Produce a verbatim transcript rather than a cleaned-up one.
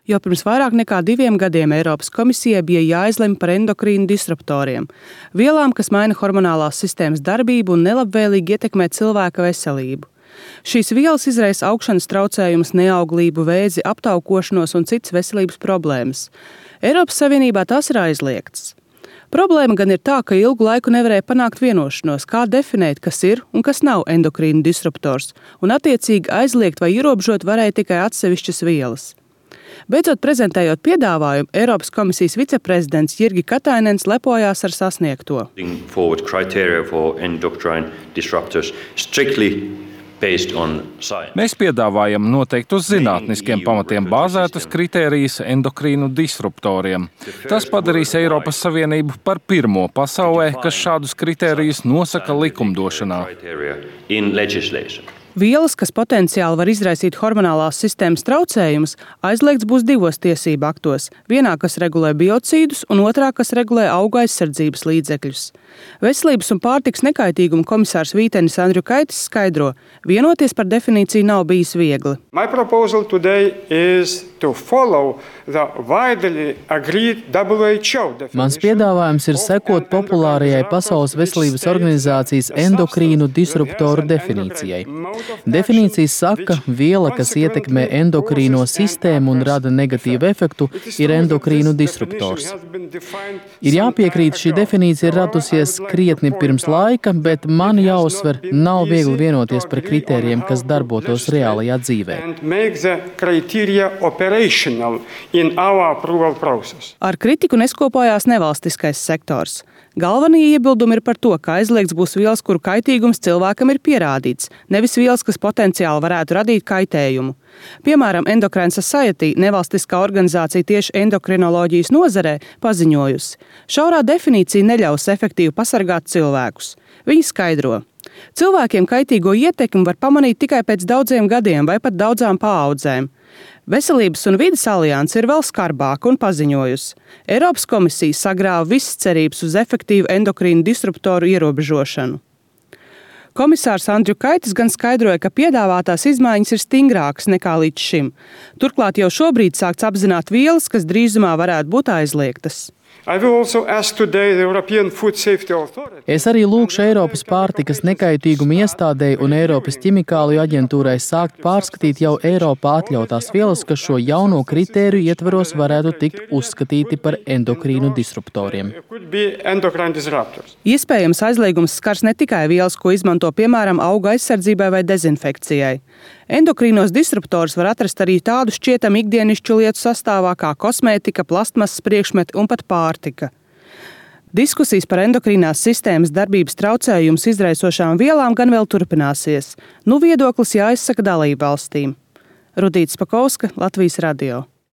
Jau pirms vairāk nekā diviem gadiem Eiropas komisijai bija jāizlemj par endokrīnu disruptoriem – vielām, kas maina hormonālās sistēmas darbību un nelabvēlīgi ietekmē cilvēka veselību. Šīs vielas izraisa augšanas traucējumus, neauglību, vēzi, aptaukošanos un citas veselības problēmas. Eiropas Savienībā tās ir aizliegtas. Problēma gan ir tā, ka ilgu laiku nevarēja panākt vienošanos, kā definēt, kas ir un kas nav endokrīnu disruptors, un attiecīgi aizliegt vai ierobežot varēja tikai atsevišķas vielas. Beidzot prezentējot piedāvājumu, Eiropas komisijas viceprezidents Jirgi Katainens lepojās ar sasniegto. Mēs piedāvājam noteikti uz zinātniskiem pamatiem bāzētas kritērijas endokrīnu disruptoriem. Tas padarīs Eiropas Savienību par pirmo pasaulē, kas šādus kritērijus nosaka likumdošanā. Vielas, kas potenciāli var izraisīt hormonālās sistēmas traucējumus, aizliegts būs divos tiesību aktos. Vienā, kas regulē biocīdus, un otrā, kas regulē augu aizsardzības līdzekļus. Veselības un pārtikas nekaitīguma komisārs Vītenis Andriukaitis skaidro, vienoties par definīciju nav bijis viegli. Mans piedāvājums ir sekot populārajai Pasaules veselības organizācijas endokrīnu disruptoru definīcijai. Definīcijas saka, ka viela, kas ietekmē endokrīno sistēmu un rada negatīvu efektu, ir endokrīnu disruptors. Ir jāpiekrīt, šī definīcija ir radusies krietni pirms laika, bet man jāuzsver, nav viegli vienoties par kritērijiem, kas darbotos reālajā dzīvē. Ar kritiku neskopājās nevalstiskais sektors. Galvenie iebildumi ir par to, ka aizliegts būs vielas, kuru kaitīgums cilvēkam ir pierādīts, nevis vielas, kas potenciāli varētu radīt kaitējumu. Piemēram, Endocrine Society, nevalstiskā organizācija tieši endokrinoloģijas nozarē, paziņojusi: šaurā definīcija neļaus efektīvi pasargāt cilvēkus. Viņi skaidro: cilvēkiem kaitīgo ietekmi var pamanīt tikai pēc daudziem gadiem vai pat daudzām paaudzēm. Veselības un vides alianse ir vēl skarbāka un paziņojusi: Eiropas komisija sagrāva visas cerības uz efektīvu endokrīnu disruptoru ierobežošanu. Komisārs Andriukaitis gan skaidroja, ka piedāvātās izmaiņas ir stingrākas nekā līdz šim. Turklāt jau šobrīd sākts apzināt vielas, kas drīzumā varētu būt aizliegtas. Es arī lūgšu Eiropas pārtikas nekaitīguma iestādei un Eiropas ķimikāliju aģentūrai sākt pārskatīt jau Eiropā atļautās vielas, kas šo jauno kritēriju ietvaros varētu tikt uzskatīti par endokrīnu disruptoriem. Iespējams, aizliegums skars ne tikai vielas, ko izmanto piemēram auga aizsardzībai vai dezinfekcijai. Endokrīnos disruptorus var atrast arī tādu šķietami ikdienišķu lietu sastāvā kā kosmētika, plastmasas priekšmeti un pat pārtika. Diskusijas par endokrīnās sistēmas darbības traucējumus izraisošām vielām gan vēl turpināsies. Nu viedoklis jāizsaka dalībvalstīm. Rudīta Spakovska, Latvijas radio.